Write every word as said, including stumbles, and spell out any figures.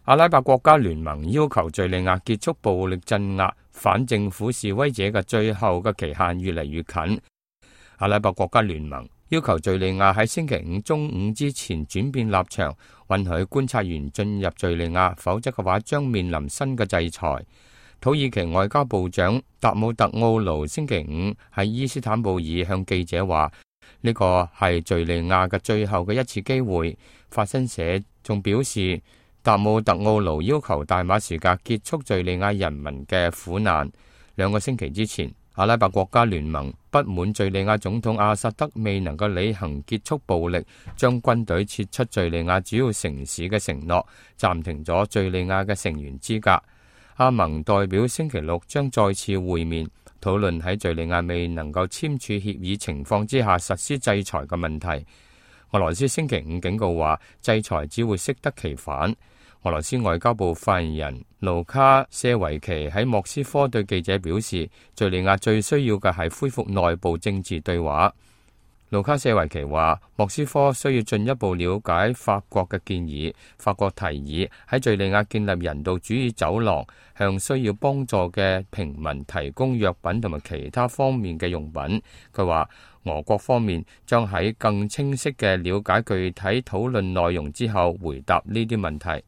阿拉伯國家聯盟要求敘利亞結束暴力鎮壓反政府示威者嘅最後嘅期限越嚟越近。阿拉伯國家聯盟要求敘利亞喺星期五中午之前轉變立場，允許觀察員進入敘利亞，否則嘅話將面臨新嘅制裁。土耳其外交部長達姆特奧盧星期五喺伊斯坦布爾向記者話，呢個係敘利亞嘅最後嘅一次機會。法新社仲表示，達姆特奧盧要求大馬士革結束敘利亞人民嘅苦難。兩個星期之前，阿拉伯國家聯盟不滿敘利亞總統阿薩德未能夠履行結束暴力、將軍隊撤出敘利亞主要城市嘅承諾，暫停咗敘利亞嘅成員資格。阿盟代表星期六將再次會面，討論喺敘利亞未能夠簽署協議情況之下實施制裁嘅問題。俄羅斯星期五警告話，制裁只會適得其反。俄羅斯外交部發言人盧卡謝維奇喺莫斯科對記者表示，敘利亞最需要嘅係恢復內部政治對話。盧卡謝維奇話，莫斯科需要進一步了解法國嘅建議。法國提議喺敘利亞建立人道主義走廊，向需要幫助嘅平民提供藥品同埋其他方面嘅用品。佢話，俄國方面將喺更清晰嘅了解具體討論內容之後回答呢啲問題。